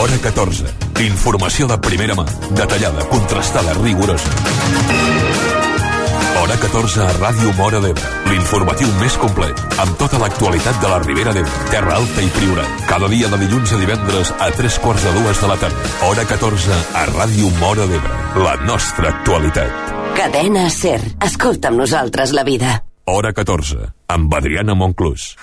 Hora 14. Informació de primera mà, detallada, contrastada, rigorosa. Hora 14 a Ràdio Móra d'Ebre. L'informatiu més complet, amb tota l'actualitat de la Ribera d'Ebre, Terra Alta i Priorat. Cada dia de dilluns a divendres a 3:45 de la tarda. Hora 14 a Ràdio Móra d'Ebre. La nostra actualitat. Cadena SER. Escolta amb nosaltres la vida. Hora 14, amb Adriana Monclús.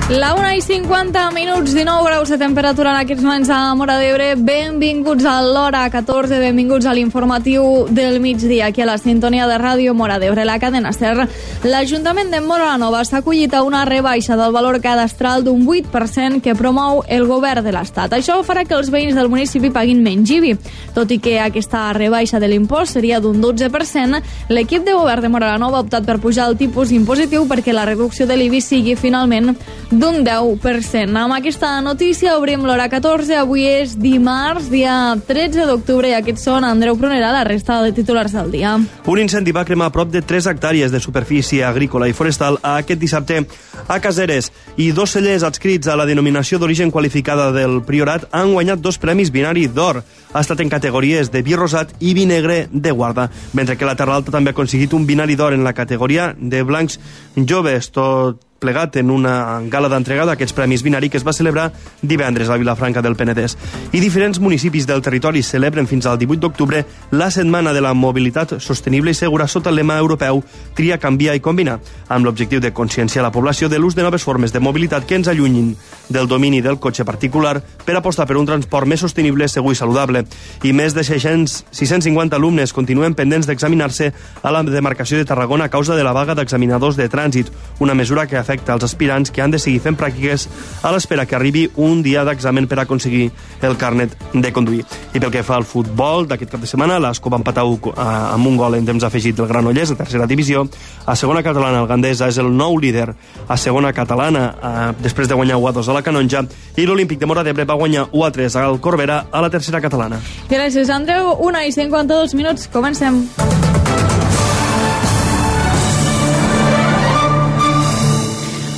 La 1:50, 19 graus de temperatura en aquests moments a Móra d'Ebre. Benvinguts a l'Hora 14, benvinguts a l'informatiu del migdia, aquí a la sintonia de Ràdio Móra d'Ebre, la cadena SER. L'Ajuntament de Móra la Nova s'ha acollit a una rebaixa del valor cadastral d'un 8% que promou el govern de l'Estat. Això farà que els veïns del municipi paguin menys IBI. Tot i que aquesta rebaixa de l'impost seria d'un 12%, l'equip de govern de Móra la Nova ha optat per pujar el tipus impositiu perquè la reducció de l'IBI sigui finalment d'un 10%. Amb aquesta notícia obrim l'Hora 14. Avui és dimarts, dia 13 d'octubre, i aquests són Andreu Pronera, la resta de titulars del dia. Un incendi va cremar prop de 3 hectàrees de superfície agrícola i forestal aquest dissabte a Caseres, i 2 cellers adscrits a la denominació d'origen qualificada del Priorat han guanyat 2 premis binari d'or. Ha estat en categories de vi rosat i vi negre de guarda, mentre que la Terra Alta també ha aconseguit un binari d'or en la categoria de blancs joves, tot plegat en una gala d'entrega d'aquests premis binari que es va celebrar divendres a Vilafranca del Penedès. I diferents municipis del territori celebren fins al 18 d'octubre la Setmana de la Mobilitat Sostenible i Segura sota el lema europeu Tria, Canvia i Combina, amb l'objectiu de conscienciar la població de l'ús de noves formes de mobilitat que ens allunyin del domini del cotxe particular per apostar per un transport més sostenible, segur i saludable. I més de 650 alumnes continuen pendents d'examinar-se a la demarcació de Tarragona a causa de la vaga d'examinadors de trànsit, una mesura que afecta als aspirants que han de seguir fent pràctiques a l'espera que arribi un dia d'examen per aconseguir el carnet de conduir. I pel que fa al futbol, d'aquest cap de setmana, l'Ascó va empatar amb un gol en temps afegit del Granollers, a tercera divisió. A segona catalana, el Gandesa és el nou líder a segona catalana, després de guanyar 1-2 a la Canonja, i l'Olímpic de Móra d'Ebre va guanyar 1-3 al Corbera a la tercera catalana. Gràcies, Andreu. 1:52, comencem.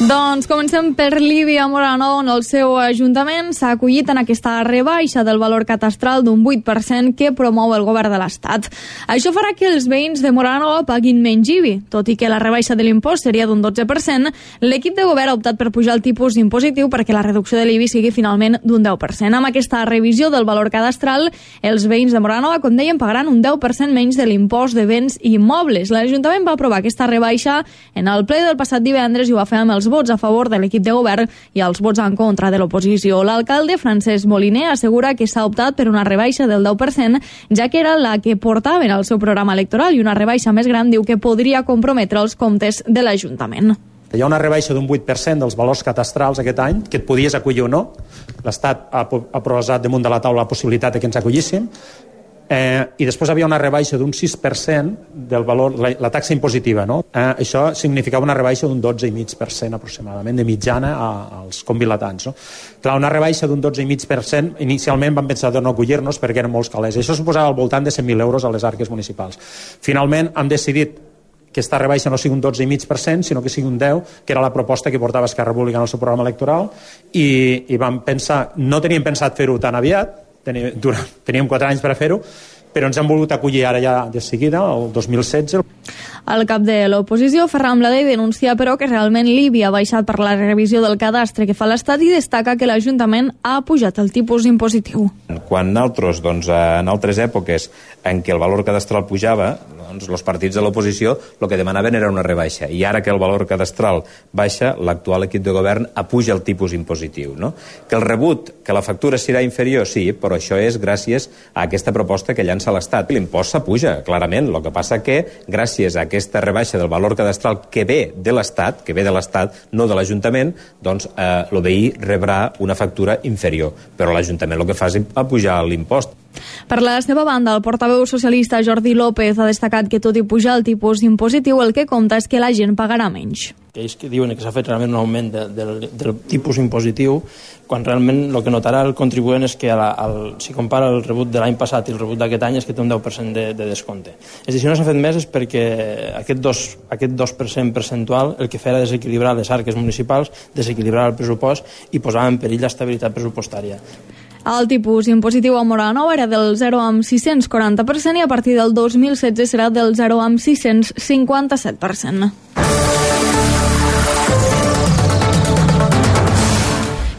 Doncs comencem per l'IBI a Móra la Nova, on el seu ajuntament s'ha acollit en aquesta rebaixa del valor catastral d'un 8% que promou el govern de l'Estat. Això farà que els veïns de Móra la Nova paguin menys IBI. Tot i que la rebaixa de l'impost seria d'un 12%, l'equip de govern ha optat per pujar el tipus impositiu perquè la reducció de l'IBI sigui finalment d'un 10%. Amb aquesta revisió del valor cadastral, els veïns de Móra la Nova, com deien, pagaran un 10% menys de l'impost de béns i immobles. L'Ajuntament va aprovar aquesta rebaixa en el ple del passat divendres i ho va fer amb els vots a favor de l'equip de govern i els vots en contra de l'oposició. L'alcalde Francesc Moliner assegura que s'ha optat per una rebaixa del 10%, ja que era la que portaven al seu programa electoral, i una rebaixa més gran diu que podria comprometre els comptes de l'Ajuntament. Hi ha una rebaixa d'un 8% dels valors catastrals aquest any, que et podies acollir o no. L'Estat ha posat damunt de la taula la possibilitat de que ens acollissin. I després havia una rebaixa d'un 6% del valor, la taxa impositiva, no? Això significava una rebaixa d'un 12,5% aproximadament de mitjana als convilatants, no? Clar, una rebaixa d'un 12,5%, inicialment vam pensar de no acollir-nos perquè eren molts calés. Això suposava al voltant de 100.000 euros a les arques municipals. Finalment hem decidit que aquesta rebaixa no sigui un 12,5%, sinó que sigui un 10%, que era la proposta que portava Esquerra Republicana al seu programa electoral, i vam pensar, no teníem pensat fer-ho tan aviat, teníem 4 anys per a fer-ho, però ens han volgut acollir ara ja de seguida, el 2016. El cap de l'oposició, Ferran Bladé, denuncia però que realment l'IBI ha baixat per la revisió del cadastre que fa l'Estat i destaca que l'Ajuntament ha pujat el tipus impositiu. Quan nosaltres, en altres èpoques en què el valor cadastral pujava, els partits de l'oposició el que demanaven era una rebaixa, i ara que el valor cadastral baixa, l'actual equip de govern apuja el tipus impositiu, no? Que el rebut, que la factura serà inferior, sí, però això és gràcies a aquesta proposta que llança l'Estat. L'impost s'apuja, clarament, el que passa que gràcies a aquesta rebaixa del valor cadastral que ve de l'Estat, no de l'Ajuntament, doncs el veí rebrà una factura inferior, però l'Ajuntament el que fa és apujar l'impost. Per la seva banda, el portaveu socialista Jordi López ha destacat que tot i pujar el tipus impositiu, el que compta és que la gent pagarà menys. Ells que diuen que s'ha fet realment un augment del tipus impositiu, quan realment el que notarà el contribuent és que si compara el rebut de l'any passat i el rebut d'aquest any és que té un 10% de descompte. És a dir, si no s'ha fet més és perquè aquest 2% percentual el que feia era desequilibrar les arques municipals, desequilibrar el pressupost i posava en perill l'estabilitat pressupostària. El tipus impositiu a Móra la Nova era del 0,640% i a partir del 2016 serà del 0,657%.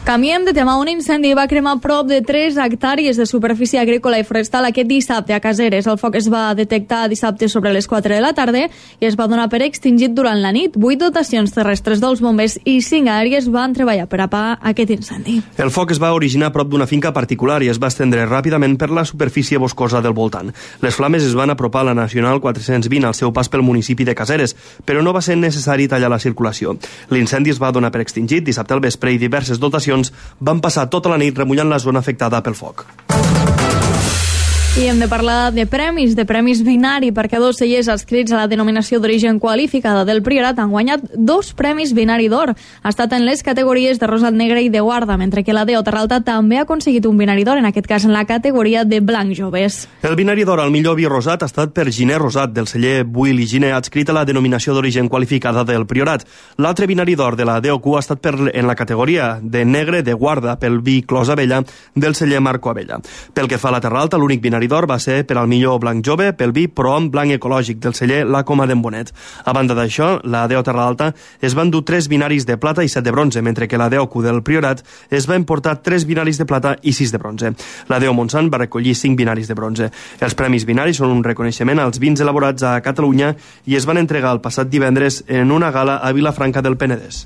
Canviem de tema. Un incendi va cremar prop de 3 hectàrees de superfície agrícola i forestal aquest dissabte a Caseres. El foc es va detectar dissabte sobre les 4 de la tarda i es va donar per extingit durant la nit. 8 dotacions terrestres dels bombers i 5 aèries van treballar per apagar aquest incendi. El foc es va originar a prop d'una finca particular i es va estendre ràpidament per la superfície boscosa del voltant. Les flames es van apropar a la Nacional 420 al seu pas pel municipi de Caseres, però no va ser necessari tallar la circulació. L'incendi es va donar per extingit dissabte al vespre i diverses dotacions van passar tota la nit remullant la zona afectada pel foc. I hem de parlar de premis binari, perquè 2 cellers adscrits a la denominació d'origen qualificada del Priorat han guanyat 2 premis binari d'or. Ha estat en les categories de rosat negre i de guarda, mentre que la DO Terralta també ha aconseguit un binari d'or, en aquest cas en la categoria de blanc joves. El binari d'or al millor vi rosat ha estat per Giner Rosat, del celler Buil i Giner, adscrit a la denominació d'origen qualificada del Priorat. L'altre binari d'or de la DOQ ha estat en la categoria de negre de guarda pel vi Clos Abella, del celler Marco Abella. Pel que fa a la Terralta, l'únic binari d'or va ser per al millor blanc jove pel vi Prohom blanc ecològic del celler La Coma d'en Bonet. A banda d'això, la DO Terralta es van dur 3 binaris de plata i 7 de bronze, mentre que la DOQ del Priorat es va importar 3 binaris de plata i 6 de bronze. La DO Montsant va recollir 5 binaris de bronze. Els premis binaris són un reconeixement als vins elaborats a Catalunya i es van entregar el passat divendres en una gala a Vilafranca del Penedès.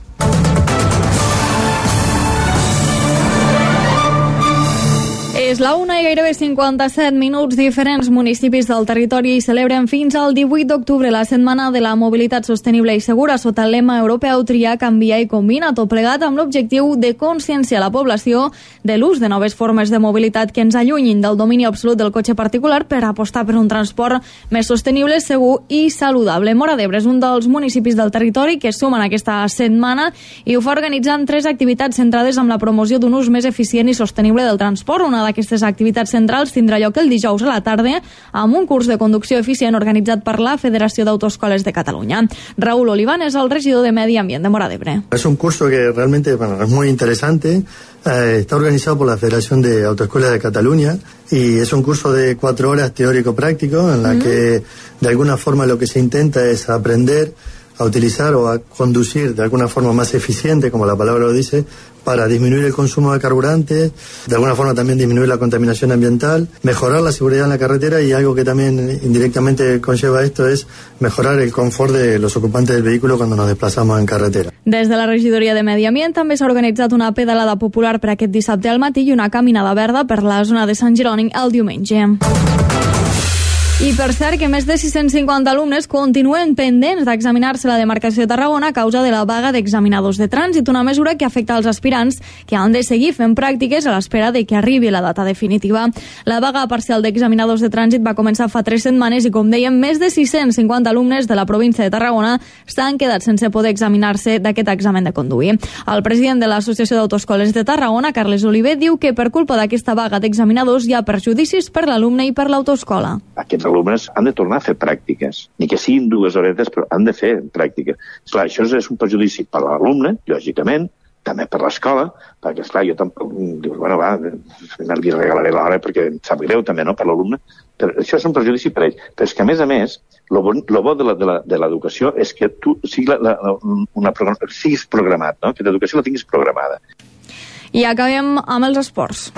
És la 1 i gairebé 57 minuts. Diferents municipis del territori celebren fins al 18 d'octubre la Setmana de la Mobilitat Sostenible i Segura sota el lema europeu Triar, Canviar i Combina, tot plegat amb l'objectiu de conscienciar la població de l'ús de noves formes de mobilitat que ens allunyin del domini absolut del cotxe particular per apostar per un transport més sostenible, segur i saludable. Móra d'Ebre és un dels municipis del territori que sumen aquesta setmana i ho fa organitzant 3 activitats centrades en la promoció d'un ús més eficient i sostenible del transport. Una d'aquestes activitats centrals tindrà lloc el dijous a la tarda amb un curs de conducció eficient organitzat per la Federació d'Autoescoles de Catalunya. Raúl Oliván es el regidor de Medi Ambient de Móra d'Ebre. Es un curso que realmente es muy interesante. Está organizado por la Federación de Autoescuelas de Cataluña y es un curso de 4 horas teórico-práctico en la que de alguna forma lo que se intenta es aprender a utilizar o a conducir de alguna forma más eficiente, como la palabra lo dice, para disminuir el consumo de carburante, de alguna forma también disminuir la contaminación ambiental, mejorar la seguridad en la carretera y algo que también indirectamente conlleva esto es mejorar el confort de los ocupantes del vehículo cuando nos desplazamos en carretera. Des de la regidoria de Medi Ambient també s'ha organitzat una pedalada popular per aquest dissabte al matí i una caminada verda per la zona de Sant Jeroni el diumenge. I per cert que més de 650 alumnes continuen pendents d'examinar-se la demarcació de Tarragona a causa de la vaga d'examinadors de trànsit, una mesura que afecta als aspirants que han de seguir fent pràctiques a l'espera de que arribi la data definitiva. La vaga parcial d'examinadors de trànsit va començar fa 3 setmanes i, com dèiem, més de 650 alumnes de la província de Tarragona s'han quedat sense poder examinar-se d'aquest examen de conduir. El president de l'Associació d'Autoescoles de Tarragona, Carles Oliver, diu que per culpa d'aquesta vaga d'examinadors hi ha perjudicis per l'alumne i per l'autoescola. Aquests alumnes han de tornar a fer pràctiques, ni que siguin 2 horetes, però han de fer pràctiques. Esclar, això és un perjudici per l'alumne, lògicament, també per l'escola, perquè, esclar, jo tampoc dius, bueno, va, li regalaré l'hora perquè em sap greu també, no?, per l'alumne, però això és un perjudici per ell. Però és que, a més, lo bo de l'educació és que tu siguis programat, no?, que l'educació la tinguis programada. I acabem amb els esports.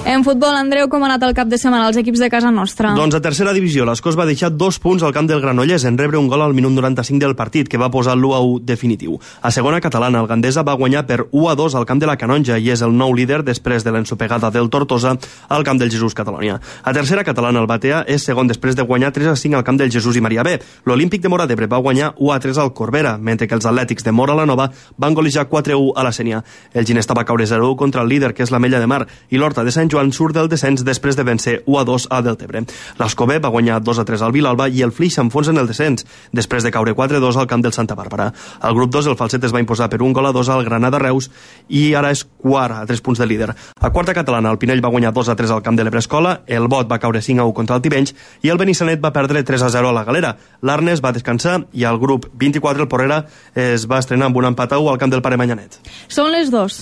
En En futbol, Andreu, com ha anat el cap de setmana als equips de casa nostra? Doncs a tercera divisió, l'Escós va deixar 2 punts al camp del Granollers en rebre un gol al minut 95 del partit, que va posar l'1-1 definitiu. A segona catalana, el Gandesa va guanyar per 1-2 al camp de la Canonja i és el nou líder després de l'ensopegada del Tortosa al camp del Jesús Catalonia. A tercera catalana, el Batea és segon després de guanyar 3-5 al camp del Jesús i Maria B. L'Olímpic de Móra d'Ebre va guanyar 1-3 al Corbera, mentre que els atlètics de Móra la Nova van golejar 4-1 a la Sénia. El Ginesta va caure 0-1 contra el líder, que és l'Ametlla de Mar, i l'Horta de Sant Joan surt del descens després de vèncer 1-2 a Deltebre. L'Escobé va guanyar 2-3 al Vilalba i el Flix s'enfonsa en el descens, després de caure 4-2 al camp del Santa Bàrbara. Al grup 2, el Falset es va imposar per 1-2 al Granada Reus i ara és quart a 3 punts de líder. A quarta catalana, el Pinell va guanyar 2-3 al camp de l'Ebrescola, el Bot va caure 5-1 contra el Tivenys i el Benissanet va perdre 3-0 a la Galera. L'Arnes va descansar i al grup 24 el Porrera es va estrenar amb un empat a 1 al camp del Pare Manyanet. Són les 2.